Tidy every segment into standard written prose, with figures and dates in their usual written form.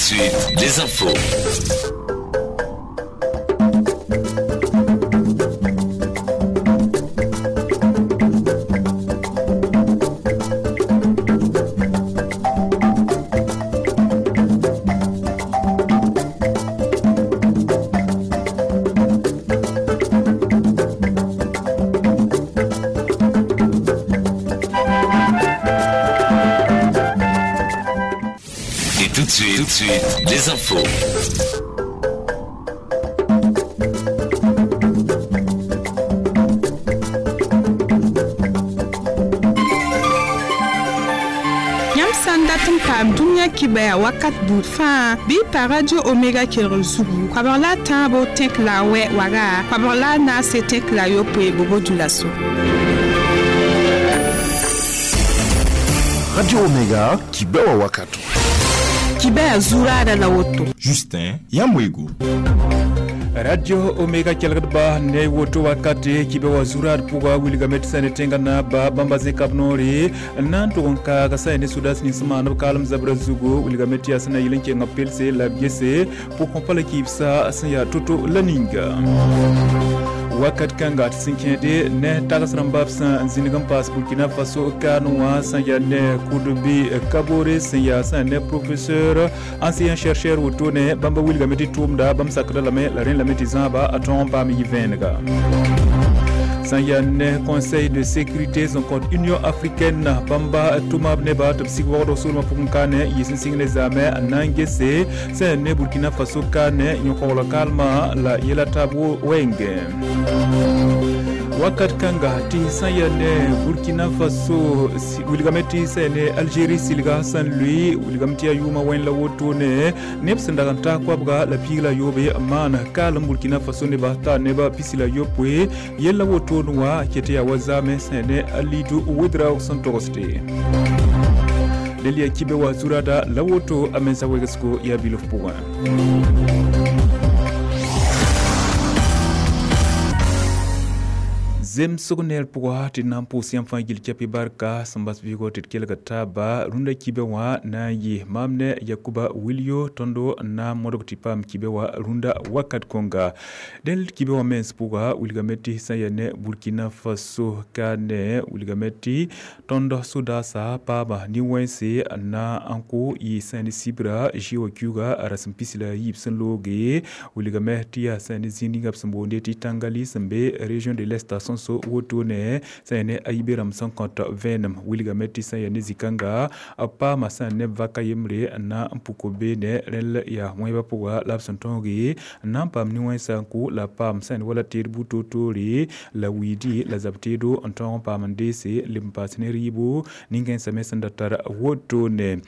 de suite, les infos. Tout de suite, les infos. Yãmb sã n dat n paam dũniyã kibɛa wakat buud fãa bɩ y pa Radio Omega kelgr zugu koabg la a tãabo tẽk la a wɛ waga koabg la a naase tẽk la a yopoe bobo dũlaso. Radio Omega kibɛwa wakato. Kibɛa zuraada la woto. Justin Yamwego. Radio Omega kelgdba ne woto wakati kibe wa zurad pʋga wilgame tɩ sã ne tẽngã naaba bãmba zẽkab noore n na n tʋg n kaaga sã ne sodaas nins maan b kaalem zabra zugu wilgame tɩ yaa sẽn na yɩl n kenga pelse la b gese pʋgẽ pa la kibsa sẽn yaa to-to la ninga wakat kãnga tɩ sẽn kẽede ne tags rãmba b sẽn zĩnig n paas Burkina Faso kaane wã sẽn yaa ne Koudougou Kabore sẽn yaa sẽn ne professeur enseignant chercheur wotone bãmba wilgame tɩ tʋʋmda bãmb sakda lame la rẽ lame tɩ zãaba a tõog n paam yɩ-vẽenega sẽn yaa ne conseil de sécurité sẽn kõt Union africaine bãmba tʋma b neba tɩ b sig waoogdg soolmã pʋgẽ kaane yɩ sẽn sɩng ne zaamɛ n na n gese sẽn ne Burkina Faso kaane yõ-kogl kaalmã la yɛla taab wɛɛngẽ wakat kãnga tɩ sã yaa ne Burkina Faso wilgame tɩ sã yaa ne Algérie silga sẽn lʋɩ wilgame tɩ yaa yʋʋmã wẽnd la wotone neb sẽn dag n taa koabga la piig la yoobe n maan kaalem Burkina Faso neba taa neba pisi la yopoe yella wotone wã ket yaa wa zaamẽ sã yaa ne Alidu Ouedraogo sẽn togsde del yaa kibe wa zurada la woto a mensa wegsgo yaa bilf pʋgẽ. Zemsg neer pʋga tɩ na n pʋʋs yãmb fãa gill kɛpɩ barka sẽn bas vɩɩgɔ tɩ d kelg taaba rũndã kibɛ wã na n yɩ maam ne Yakuba Wilio tõndo n na n modg tɩ paam kibɛ wã rũndã wakat kõnga dẽnd kibɛ wã mens pʋga wilgame tɩ sã n yaa ne Burkina Faso ka ne wilgame tɩ tõnd sodaasa paama nin-wẽnse n na n kʋ yɩ sã n ne sibra zɩ wã kiuga rasem pis la yiib sẽn looge wilgame tɩ yaa sã n ne zĩig ninga b sẽn boonde tɩ Tangali sẽn be région de l'Est sõn so wotone sã yaa ne ayibe rãmb sẽn kõt vẽenem wilgame tɩ sã n yaa ne zĩ-kãnga b paama sã n ne vaka yembre n na n puk beene rẽnd yaa wẽebã pʋga la b sẽn tõoge n na n paam nin-wẽnsã n kʋ la paam sã n wala teed bu-toor-toore la wiidi la zab teedo n tõog n paam n deese leb n paas ne rɩɩbo nin-kãensã me sẽn da tar wotone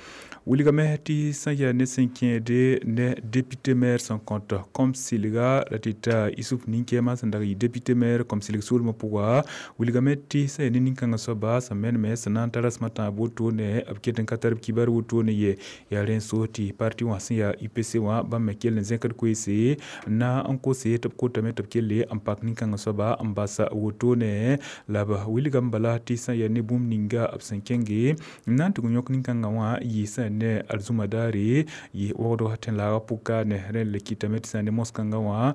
wilgame tɩ sã n yaa ne sẽn kẽede ne député maire sẽn kõt kom-silga la tɩ ta Isuf nin-kɛɛmã sẽn dag yɩ député maire kom-silg soolmã pʋga wilgame tɩ sã yaa ne nin-kãngã soaba sẽn meneme sẽn na n tar rasmã tãab wotone b ket n ka tar b kibar wotone ye yaa rẽ n so tɩ parti wã sẽn yaa UPC wã bãmb me kell n zẽkd koeese n na n kose tɩ b kotame tɩ b kelle n pak nin-kãngã soaba n bas wotone la b wilgame bala tɩ sã n yaa ne bũmb ninga b sẽn kẽnge n na n tʋg n yõk nin-kãngã wã yɩ sã ne arzũma daare yɩ waoogdg tẽn-laagã pʋka ne rẽnd le kɩtame tɩ sã n ne mos-kãngã wã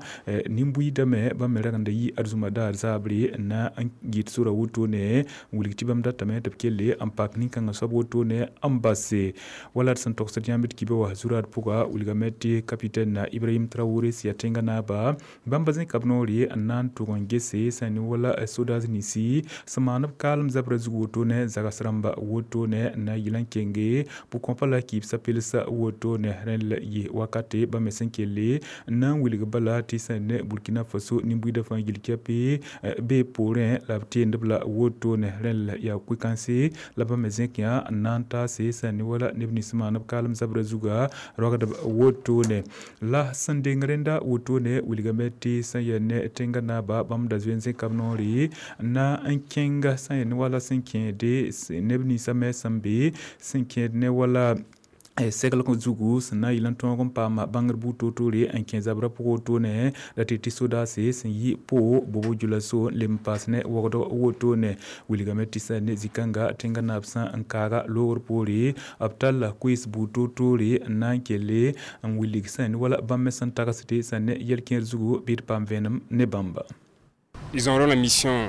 nin-buiidame bãmb me rag n da yɩ arzũma daar zaabre n na n yɩt sora wotone n wilg tɩ bãmb datame tɩ b kelle n pak nin-kãngã soab wotone n base wala d sẽn togsd yãmb d kibã wã zurad pʋga wilgame tɩ capitaine Ibrahim Traoré sẽn yaa tẽngã naaba bãmba zẽka b noore n na n tʋg n gese sã n ne wala sodaas ninsi sẽn maan b kaalem zabra zug wotone zags rãmba wotone n na n yɩl n kenge pʋgkõpa la kibsã pelsa wotone rẽnd la yɩ wakate bãmb me sẽn kelle n na n wilg bala tɩ sã n ne Burkina Faso nin-buiidã fãa gill kɛpɩ bee poorẽ la b teendb la wotone rẽnd la yaa koe-kãnse la bãmb me zẽk yã n na n taase sã n ne wala neb nins maan b kaalem zabra zuga rogdb wotone la sẽn deng rẽnda wotone wilgame tɩ sã n yaa ne tẽngã naaba bãmb da zoe n zẽka b noore n na n kẽnga sã n yaa ne wala sẽn kẽede neb ninsã me sẽn be sẽn kẽed ne wala Seglg zugu sẽn na n yɩl n tõog n paama bãngr buud toor-toore n kẽ zabrã pʋg wotone la tɩ tɩ sodaase sẽn yi po bobo djulaso n leb n paas ne wogdg wotone. Wilgame tɩ sã ne zĩ-kãnga tẽngã naab sã n kaaga loogr poore b talla koees buud toor-toore n na n kelle n wilg sã ne wala bãmb me sẽn tagsde sã ne yɛl-kẽer zugu bɩ d paam vẽenem ne bãmba. Ils auront la mission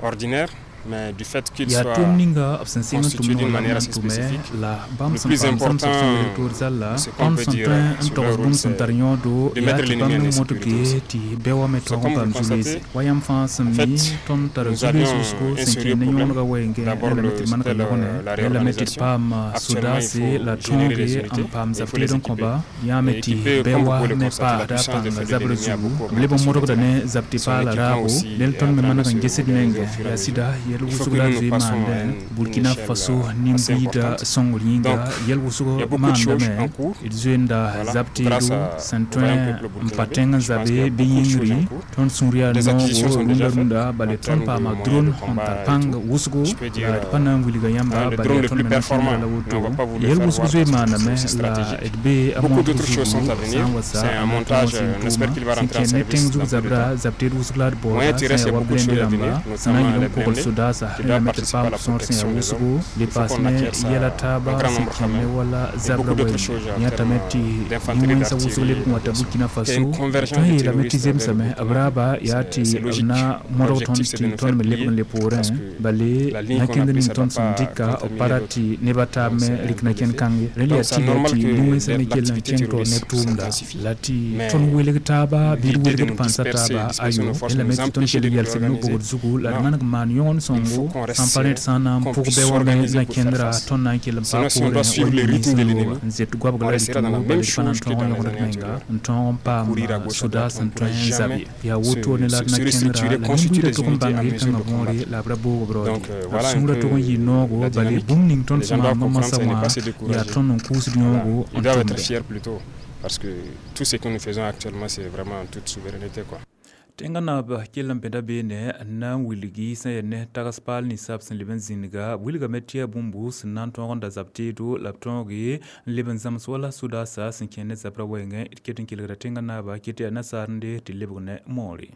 ordinaire, mais du fait qu'il yaa soit tʋʋm ninga b sẽn sɩng n constitué tʋm d'une noor la manière b assez na n tʋmɛ spécifique, la bãmb le sẽn plus paam zãmsg important, sẽn weel toor zalla ce qu'on tõnd peut sẽn dire tõe n sur togs leur rôle, bũmb sẽn c'est tar yõodo de yaa mettre tɩ l'ennemi bãmb en me mõtb insécurité ge aussi. tɩ bɛ wa me C'est tõog n comme vous paam le zu-loeese constatez, wa yãmb fãa sẽn en mi fait, tõnd tara nous zu-loees avions wʋsgo un sẽn sérieux kẽ ne problème. yõonega wɛɛngẽ D'abord, la me tɩ d manega c'était yõgenɛ la la me tɩ d réorganisation. paam Actuellement, il sodaase faut la générer des tõoge unités n paam et il faut les zab-teed n équiper. kõba yãame Et tɩ équiper, bɛ comme vous wa pouvez le me constater, la paasda puissance de pãnga feu de zabrã l'ennemi a zugu beaucoup b leb n augmenté sur le modgda terrain. ne zab tɩ Son paala équipement raabo aussi del est en tõnd me train de maneg n se gesd moderniser menge au fur et à yaa mesure. sɩda yɛl Il faut wʋsg que la nous nous zoe passions à maandẽ une Burkina échelle Faso assez nin-buiida importante. sõngr yĩnga Donc, yɛl il y wʋsg a beaucoup de choses maandame en cours. d zoeenda Voilà, zab grâce teedo à, sẽn au tõe vaillant peuple n pa burkinabé, tẽng n je pense qu'il y zabe a bɩ beaucoup de choses yĩngri en cours. Tõnd sũur yaa Des acquisitions noogo sont rũndã déjà faites rũndã en bale tõnd termes de paama moyens de drone sẽn combat tar et pãng tout. Wʋsgo Je peux dire, la d pa na n wilga yãmba hein, le bale drone le tõnd plus me na kẽndra performant, la mais woto on va pas vous le yɛl faire wʋsg voir zoe parce que maaname c'est la stratégique. d bee a Beaucoup montr d'autres choses zugu sont à sã venir. n wa sa C'est un n na n tõog montage, n sɩng on espère tʋʋma qu'il va sẽn rentrer en kẽ ne service tẽng dans zug peu de zabra temps. zab teed wʋsg la d Moyen baooda sã terrestre, yaa il y a wa beaucoup de blende choses à rãmba venir, sẽn na n notamment yɩl les n kogl blindés sodaasa qui rẽ la doivent me tɩ d participer à paam la sõor sẽn yaa protection des wʋsgo hommes. le Il faut paas qu'on ne acquiert ça yɛla en taaba grand sẽn nombre kẽ quand ne même. wala Et zabra beaucoup d'autres wɛɛngẽ choses en yãtame termes tɩ d'infanterie, yĩ-wẽnsã wʋsg d'artillerie, leb n wata d'aviation. Burkina Qu'il y ait Faso une tõe convergence n des yeelame tɩ terroristes vers le zemsame b Burkina, raaba yaa tɩ c'est b logique. Na modg tõnd L'objectif, c'est tɩ de nous tõnd faire me leb plier n le poorẽ parce que bale la ligne na qu'on a kẽnd prise, ning ça ne tõnd doit sẽn pas dɩka b contaminer pa rat d'autres. tɩ neb a taab Donc me c'est un rɩk peu na kẽnd l'effet. kãnge rẽnd yaa Donc c'est tɩ normal tɩ que nin-wẽnsã me kell n l'activité kẽng taoor neb terroriste tʋʋmda s'intensifie. La tɩ Mais tõnd welg taaba bɩ d l'idée de welgd nous pãnsa disperser, taaba disperser ayo nos forces, rẽ lame nous tɩ tõnd empêcher kell de nous yals b réorganiser. no-bogd zugu la d Non, maneg n maan yõgen il faut sõngo qu'on reste sãn pa rẽd serré, sã n na n qu'on pʋg puisse bɛ wa me s'organiser la pour faire kẽndra face. tõnd na n kell n paam Sinon, si on poorẽ doit wa suivre le yĩng rythme de sẽn l'ennemi, looga n zet goabg on la d restera dans la tũu même bala d pa na n chose que tõog dans n les yõgd années menga antérieures. N tõog n paam Courir à gauche, à soda droite, on sẽn ne pourra tõe n zab jamais ye yaa woto ne la d se na kẽndra restructurer, la constituer nin-buiidã des tʋg n unités bãng à mesure yel-kãngã de võore combattre. La b ra boog b raood Donc ye b voilà un sũurã peu tʋg n yɩ noogo la bale dynamique. Bũmb ning tõnd Les gens sẽn doivent maan comprendre, masã ce n'est wã pas se yaa décourager. Tõnd n kʋʋsd Voilà. yõogo Ils n doivent être tʋmde. Fiers plutôt, parce que tout ce que nous faisons actuellement, c'est vraiment en toute souveraineté, quoi. Tẽngã naab kell n pẽda beene n na n wilgi sẽn yaa ne tags paal ninsab sẽn leb n zĩnga b wilgame tɩ yaa bũmbu sẽn na n tõog n da zab teedo la b tõoge n leb n zãms wala sodaasa sẽn kẽ ne zabrã wɛɛngẽ d ket n kelgda tẽngã naaba ket yaa nasaar n de tɩ lebg ne moore.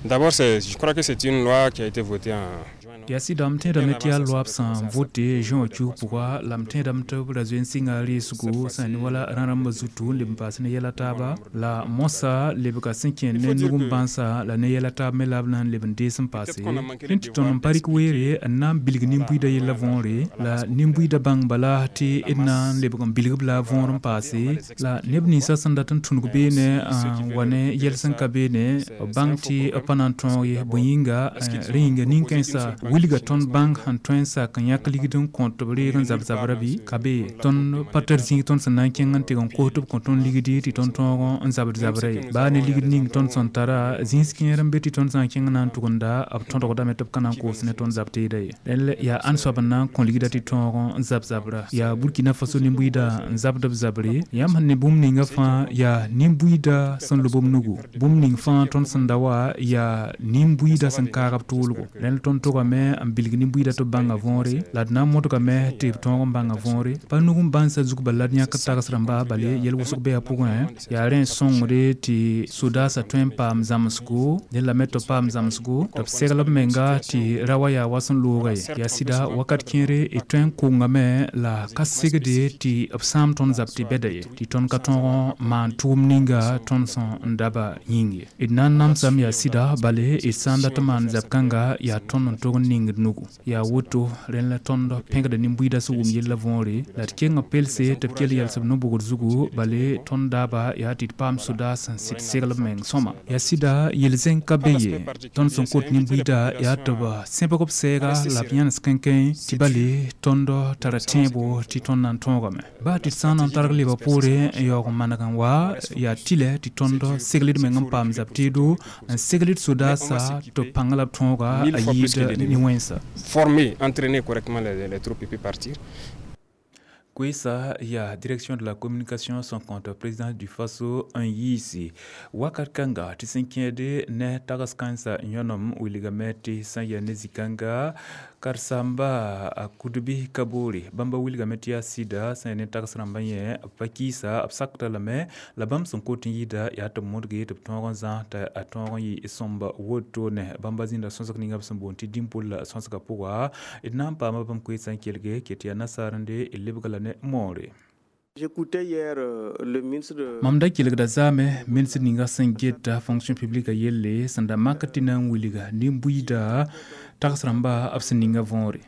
D'abord, je crois que c'est une loi qui a été votée en juin, non? Yaa sɩdame tẽedame tɩ yaa loab sẽn vote juin wã kius pʋga la m tẽedame tɩ b ra zoe n sɩnga reesgo sã ne wala rã-rãmbã zutu n leb n paas ne yɛla taaba la mosã lebga sẽn kẽ ne nug n bãnsa la ne yɛla taab me la b na n leb n dees n paase rẽ tɩ tõnd n pa rɩk weere n na n bilg nin-buiidã yella võore la nin-buiidã bãng bala tɩ d na n lebg n bilg b la võor n paase la neb ninsã sẽn dat n tũnug beene n wa ne yɛl sẽn ka beene b bãng tɩ b pa na n tõog ye bõe yĩnga rẽ yĩnga nin-kãensã wilga tõnd bãng sẽn tõe n sak n yãk ligd n kõ tɩ b reeg n zab zabrã bɩ ka be ye tõnd pa tar zĩig tõnd sẽn na n kẽng n tɩg n kos tɩ b kõ tõnd ligdi tɩ tõnd tõog n zabd zabrã ye baa ne ligd ning tõnd sẽn tara zĩis kẽer n be tɩ tõnd sã n kẽng na n tʋgemda b tõdgdame tɩ b ka na n koos ne tõnd zab teeda ye rẽnd yaa ãn soab n na n kõ ligda tɩ tõog n zab zabra yaa Burkina Faso nin-buiidã n zabd b zabre yãmb sẽn ne bũmb ninga fãa yaa nin-buiidã sẽn lob b nugu bũmb ning fãa tõnd sẽn da wa yaa nin-buiidã sẽn kaag b tʋʋlgo rẽnd tõnd togame n bilg nin-buiidã tɩ b bãnga võore la d na n modgame tɩ b tõog n bãnga võore pa nug n bãnsa zug bala la d yãk tags rãmba bale yɛl wʋsg be a pʋgẽ yaa rẽ n sõngde tɩ sodaasã tõe n paam zãmsgo dẽ lame tɩ b paam zãmsgo tɩ b segl b menga tɩ ra wa yaa wa sẽn looga ye yaa sɩda wakat kẽere d tõe n kongame la ka segde tɩ b sãam tõnd zab tɩ bɛda ye tɩ tõnd ka tõog n maan tʋʋm ninga tõnd sẽn n daba yĩng ye d na n namsame yaa sɩda bale d sã n dat n maan zab kãnga yaa tõnd n tog n ningd nugu yaa woto rẽnd la tõnd pẽgda nin-buiidã sẽn wʋm yella võore la d keng b pelse tɩ b kell yals b no-bogd zugu bale tõnd daaba yaa tɩ d paam sodaas sẽn sɩd segl b meng sõma yaa sɩda yel-zẽng ka be ye tõnd sẽn kot nin-buiidã yaa tɩ b sẽbg b sɛɛga la b yãnes kẽnkẽ tɩ bale tõnd tara tẽebo tɩ tõnd na n tõogame baa tɩ d sã n na n targ leba poore n yaoog n maneg n wa yaa tɩlɛ tɩ tõnd segl d meng n paam zab teedo n segl d sodaasa tɩ b pãng la b tõoga Mille a fois plus que yɩɩd l'ennemi. ne-wẽnsa. Former, entraîner correctement les troupes et puis partir. Koesa ya direction de la communication son compte président du Faso n yiisi wakat kãnga tɩ sẽn kẽede ne tags kãensã yõnem wilgame tɩ sã n yaa ne zĩ-kãnga karen-saamba a kudbi Kaboore bãmba wilgame tɩ yaa sɩda sã n yaa ne tags rãmbã yẽ b pa kɩɩsa b sakda lame la bãmb sẽn kot n yɩɩda yaa tɩ b modge tɩ b tõog n zãs tɩ a tõog n yɩ sõmba wotone bãmba zĩnda sõsg ninga b sẽn boond tɩ dĩmpol la sõsgã pʋga d na n paama bãmb koeesã n kelge ket yaa nasaar n de d lebga la ne moore. J'écoutais hier le ministre de... Mam da kelgda zaame ministre ninga sẽn geta fonction publique yelle sẽn da mak tɩ na n wilga nin-buiida tags rãmba b sẽn ninga võore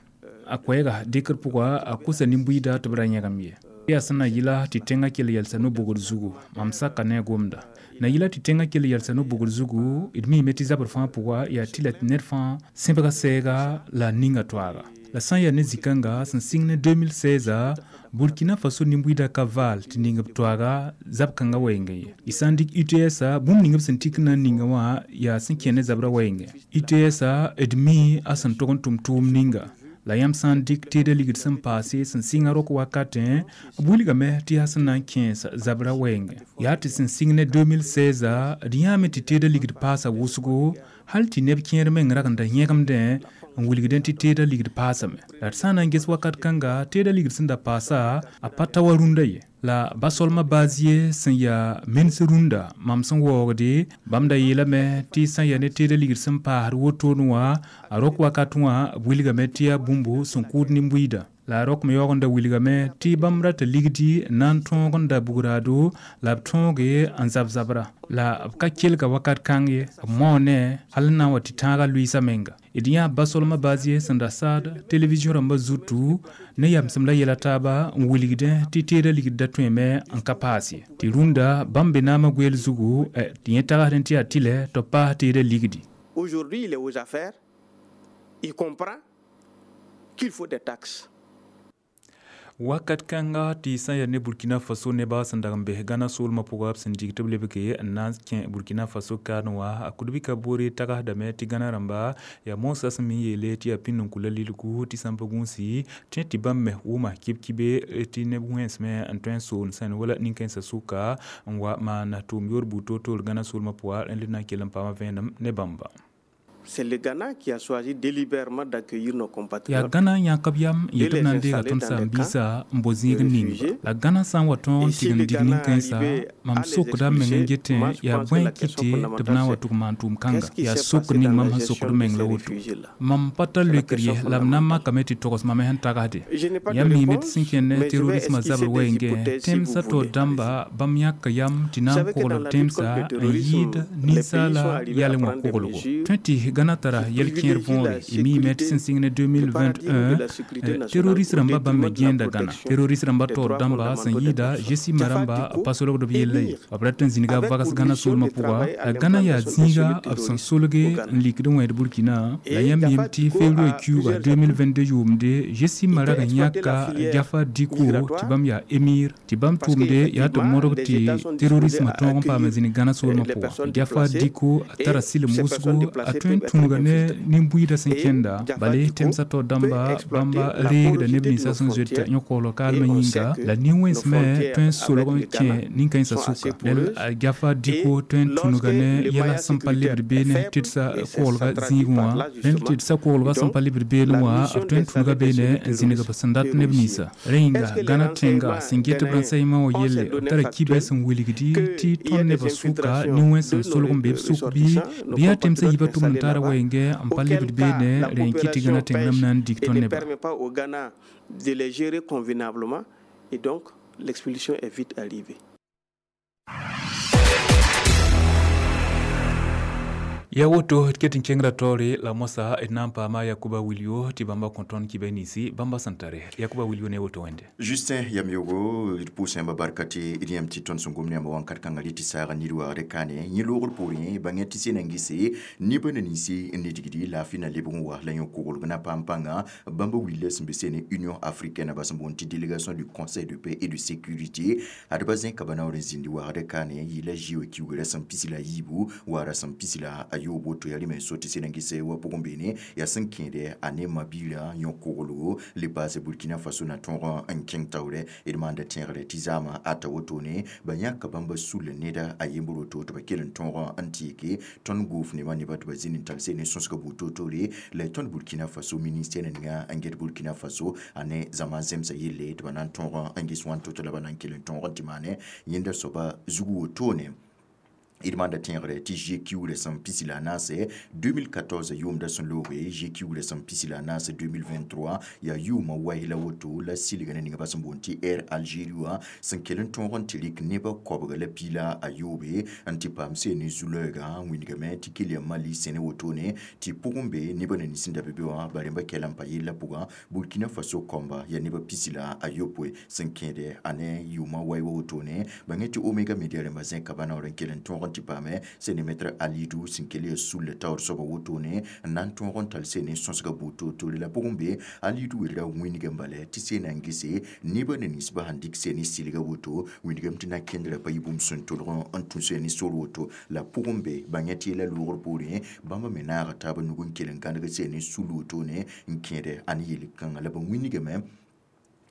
a koɛɛga dɩkr pʋga a kosa nin-buiida tɩ b ra yẽgem ye yaa sẽn na yɩla tɩ tẽngã kell yɛlsa no-bogd zugu mam saka ne a gomda na yɩla tɩ tẽngã kell yɛlsa no-bogd zugu d miime tɩ zabr fãa pʋga yaa tɩ la tɩ ned fãa sẽbga sɛɛga la a ninga toaaga la sã n yaa ne zĩ-kãnga sẽn sɩng ne 2016 Burkina Faso nin-buiida ka vaal tɩ ning b toaaga zab kãngã wɛɛngẽ ye y sã n dɩk UTS bũmb ning b sẽn tik na n ninga wã yaa sẽn kẽ ne zabrã wɛɛngẽ UTS d mi a sẽn tog n tʋm tʋʋm ninga la yãmb sã n dɩk teeda ligd sẽn paase sẽn sɩnga rok wakatẽ b wilgame tɩ yaa sẽn na n kẽes zabrã wɛɛngẽ yaa tɩ sẽn sɩng ne 2016 d yãame tɩ teeda ligd paasa wʋsgo hal tɩ neb kẽer meng rag n da yẽgemdẽ n wilgdẽ tɩ teeda ligd paasame la d sã n na n ges wakat kãnga teeda ligd sẽn da paasa a pa ta wa rũndã ye la basolmã baaz ye sẽn yaa mens rũndã mam sẽn waoogde bãmb da yeelame tɩ sã n yaa ne teeda ligd sẽn paasd wotone wã a rok wakat wã b wilgame tɩ yaa bũmb sẽn kʋʋd nin-buiidã la a rok me yaoog n da wilgame tɩ bãmb rata ligdi na n tõog n da bugraado la b tõoge n zab zabra la b ka kelga wakat kãng ye b maoone hal n na n wa tɩ tãagã lʋɩɩsa menga d yã basolmã baaz ye sẽn da saad television rãmbã zutu ne yamsem la yɛla taaba n wilgdẽ tɩ teeda ligd da tõeme n ka paas ye tɩ rũndã bãmb be naamã goɛɛl zugu tɩ yẽ tagsdẽ tɩ yaa tɩlɛ tɩ b paas teeda ligdi. Aujourd'hui, il est aux affaires, il comprend qu'il faut des taxes. Wakat kãnga tɩ sã n yaa ne Burkina Faso nebã sẽn dag n bes Gana soolmã pʋga b sẽn dig tɩ b lebge n na n kẽ Burkina Faso kaarẽ wã a Kudbi Kaboore tagsdame tɩ Gana rãmba yaa moosã sẽn me yeele tɩ yaa pĩnd n kula lilgu tɩ sã n pa gũusi tẽ tɩ bãmb me wʋma kib-kibe tɩ neb wẽnsme n tõe n soon sẽn wala nin-kãensã sʋka n wa maan tʋʋm yoor buud toor-toor Gana soolmã pʋga rẽnd na n kell n paama vẽenem ne bãmba. C'est le Ghana qui a choisi délibérément d'accueillir nos compatriotes. Yaa Gana yãk b yam n yet b na n deega tõnd saam-biisã n bao zĩig n ning-ba la Gana sã n wa tõog n tigim dig nin-kãensã mam sokda m meng n getẽ yaa bõe n kɩte tɩ b na n wa tʋg maan tʋʋm kãnga yaa sokr ning mam sẽn sokd meng la woto mam pa tar leokr ye la b na n makame tɩ togs mam sẽn tagsde yãmb miime tɩ sẽn kẽnd ne terrorismã zabr wɛɛngẽ tẽmsã taoor dãmba bãmb yãka yam tɩ na n kogl b tẽmsa n yɩɩd ninsaala yalẽ wã koglgo tõe tɩ Gana tara yɛl-kẽer võore y miime tɩ sẽn sɩng ne 2021 terroriste rãmba bãmb me gẽenda Gana terroriste rãmba taoor dãmba sẽn yɩɩda Gesima rãmba b pa solgd b yella ye b rat n zĩniga vags Gana soolmã pʋga la Gana yaa zĩiga b sẽn solge n likd n wẽed Burkina la yãmb yem tɩ février kiuuga 2022 yʋʋmde Gesima rag n yãka Jafa Diko tɩ bãmb yaa émir tɩ bãmb tʋʋmde yaa tɩ modg tɩ terrorismã tõog n paam zĩnig Gana soolmã pʋga Jafa Diko a tara sɩlem wʋsgo a tõe n tũnuga ne nin-buiidã sẽn kẽnda bale tẽmsã taoor dãmba bãmba reegda neb ninsã sẽn zoeta yõ-koglg kaalmã yĩnga la nin-wẽns me tõe n solg n kẽ nin-kãensã sʋka rẽl a Jafa Diko tõe n tũnuga ne yɛla sẽn pa lebd beene tɩdsa koglga zĩigẽ wã rẽnd tɩdsa koglga sẽn pa lebd beene wã b tõe n tũnuga beene n zĩnig b sẽn dat neb ninsã rẽ yĩnga Gana tẽnga sẽn get b rãn-saɩmã wã yelle b tara kibɛ sẽn wilgdi tɩ tõnd nebã sʋka nin-wẽns sẽn solg n be b sʋk bɩ yaa tẽmsã yiibã tʋmd n taara wɛɛngẽ n pa lebd beene rẽ n kɩt tɩ Gana tẽng rãmb na n dig et tõnd ne nebã. permet pas au Ghana de les gérer convenablement et donc l'expulsion est vite arrivée. Ya woto d ket n kẽngra taoore la moasã d na n paama Yakuba Wilio tɩ bãmba kõ tõnd kibɛ ninsi bãmba sẽn tare Yakuba Wilio ne woto wẽnde. Justin Yamyogo d pʋʋsẽmba barka tɩ d yãmb tɩ tõnd sẽn gom ne yãmba wãnkat kãngã rɩ tɩ saaga nid waagd kaane yẽ loogr poorẽ bãngẽ tɩ sẽna n gese nebã na ninsi n nidgdi laafɩ na lebg n wa la yõ-koglg na paam pãnga bãmba willa sẽn be sene Union africaine ba sẽn boond tɩ délégation du Conseil de paix et de sécurité ad ba zẽka ba naoor n zĩndi waagd kaane yɩla zɩ kiuga rasem pis la yiibu wa rasem pis la yoob woto yaa rɩme so tɩ sẽd n gese wa pʋgẽ beene yaa sẽn kẽede a ne ma-biirã yõ-koglgo le paase Burkina Faso na tõog n kẽng taoorɛ. D maanda tẽegre tɩ zaamã ata wotone ba yãka bãmba sull neda a yembr woto tɩ ba kell n tõog n tɩɩke tõnd goof nebã nebã tɩ ba zĩnd n tall seen ne sõsga buud toor-toore la tõnd Burkina Faso ministère ninga n get Burkina Faso a ne zãma zemsã yelle tɩ ba na n tõog n ges wãn to-to la ba na n kell n tõog n tɩ maane yẽnda soaba zugu wotone. D maanda tẽegre tɩ GQ sẽn pisi la a naase 2014 yʋʋmda sẽn looge GQ sẽn pisi la a naase 2023 yaa yʋʋmã wai la woto la silga ne ninga ba sẽn boond tɩ Air Algérie wã sẽn kell n tõog n tɩ rɩk nebã koabga la piila a yoobe n tɩ paam seen ne zu-lɛɛgã wĩndgame tɩ kell yaa Mali sẽne wotone tɩ pʋgẽ be nebã na nins n da be be wã ba rẽmba kɛla n pa yellã pʋgã Burkina Faso kɔmba yaa nebã pisi la a yopoe sẽn kẽede a ne yʋʋmã wai wa wotone bãng tɩ Omega Media rẽmba zẽka ba naoor n kell n tõog n tɩ paame sẽne Alidou sẽn kell yaa sulla taoor soaba wotone n na n tõog n tall sene sõsga buud toor-toore la pʋgẽ be Alidou welra wĩndgame bala tɩ sena n gese nebã na ninsbã sãn dɩk sene sɩlga woto wĩndgame tɩ na kẽndra pa yɩ bũmb sẽn tolg n tũ sene sor woto la pʋgẽ be bãng tɩ yɛla loogr poorẽ bãmba me naaga taab nug n kell n gãneg sene sul wotone n kẽede a ne yel-kãngã la ba wĩndgame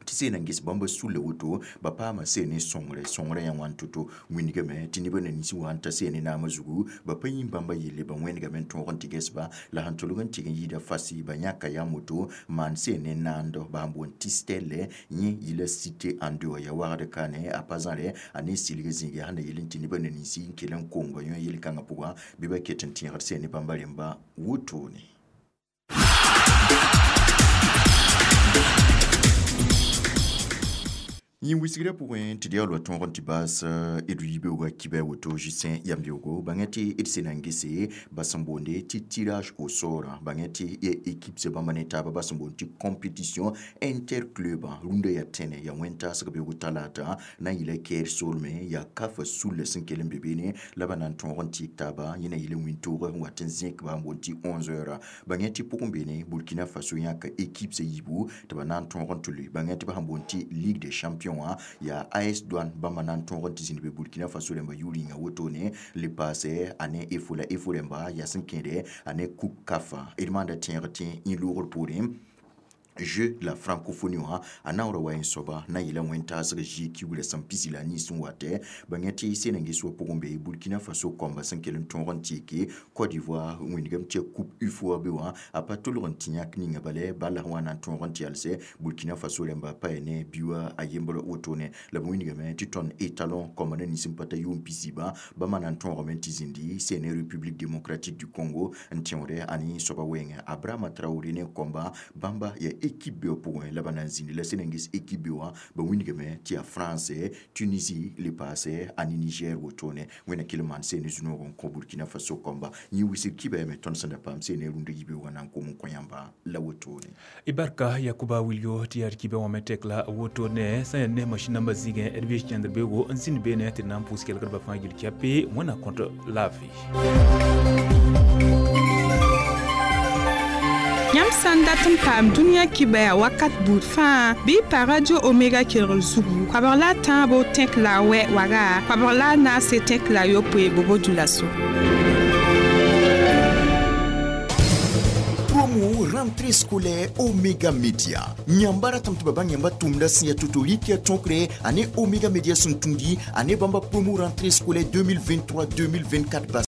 tɩ seen n ges bãmba sulla woto ba paama seen ne sõngre sõngrã yaa wãn to-to wĩndgame tɩ nebã na nins wã n ta seen ne naamã zugu ba pa yĩm bãmba yelle ba wẽnegame n tõog n tɩ ges-ba la sẽn tolg n tɩg n yɩɩda fasi ba yãka yam woto maan seen ne naando ba sẽn boond tɩ stɛlle yẽ yɩla site ãnde wã yaa wagd kane a pa zãre a ne silg zĩig yaa sẽn na yel n tɩ nebã na ninsi n kell n kong ba yõ yel-kãngã pʋgã bɩ ba ket n tẽegd seen ne bãmba rẽmba wotone. Yẽ wisgrã pʋgẽ tɩ d yaool wa tõog n tɩ baas d yibeoogã kibɛ woto Justin yambeoogo bãngẽ tɩ d sẽn na n gese ba sẽn boonde tɩ tirage au sort bãngẽ tɩ équipe se bãmba ne taaba ba sẽn boond tɩ compétition interclub rũndã yaa tẽne yaa wẽn-taasg beoog talaata na n yɩla kɛɛr soolmẽ yaa kafa sulla sẽn kell n be beene la ba na n tõog n tɩɩk taaba yẽ na yɩl n wĩntoog n wat n zẽk ba n boond tɩ 11 heures bãngẽ tɩ pʋgẽ beene Burkina Faso yãka équipe se yiibu tɩ ba na n tõog n tʋ loe bãngẽ tɩ ba sẽn boond tɩ Ligue des champions yaa AS Douane bãmba na n tõog n tɩ zĩnd be Burkina Faso rẽmba yʋ-rĩnga wotone le paase a ne efo la efo rẽmba yaa sẽn kẽede a ne coupe CAF d maanda tẽeg tɩ yẽ loogr poorẽ jeu la francophonie wã a naoora wa n soaba na n yɩla wẽn-taasg GQ sẽn pisi la a niins n watɛ bãngẽ tɩ sẽn n ges wa pʋgẽ be Burkina Faso kɔmba sẽn kell n tõog n tɩɩke Côte d'Ivoire wĩndgame tɩ coupe UFOA be wã a pa tolg n tɩ yãk ninga bala bala sẽn wa na n tõog n tɩ yalsɛ Burkina Faso rẽmba pa ya ne biʋa a yembr wotone la b wĩndgame tɩ tõnd étalon kɔmba na nins n pa ta yʋʋm pisiibã bãmba na n tõogame tɩ zĩndi sẽn ne République démocratique du Congo n tẽoodɛ a ne soaba wɛɛngẽ Abrahama Traoré ne kɔmba bãmba yaa équipe be pʋgẽ la ba na n zĩndi la sẽn n ges équipe be wã ba wĩndgame tɩ yaa France, Tunisie le paase a ne Niger wotone wẽnna kell n maan seen ne zu-noog n kõ Burkina Faso kɔmba yẽ wisg kibɛ me tõnd sẽn da paam seen ne rũndã yibeoogã na n kom n kõ yãmba la wotone. I barka Yakuba Wilio tɩ yaa d kibɛ wã me tek la wotone sã yaa ne masĩn nambã zĩigẽ d bees kẽndr beoogo n zĩnd beene tɩ d na n pʋʋs kelgdbã fãa yel kɛpe wẽnna kõt laafɩ. Yãmb sã n dat n paam dũniyã kibɛa wakat buud fãa bɩ pa Radio Omega kelgr zugu koabg la a tãabo tẽk la a wɛ waga koabg la a naase tẽk la a yopoe bobo-dulaso. Promo rentrée scolaire Omega Media. Nyamba ratam tɩ ba bãng yãmba tʋmda sẽn yaa to-to rɩk yaa tõkre ane Omega Media sẽn tũudi ane bãmba promo rentrée scolaire 2023-2024 bas.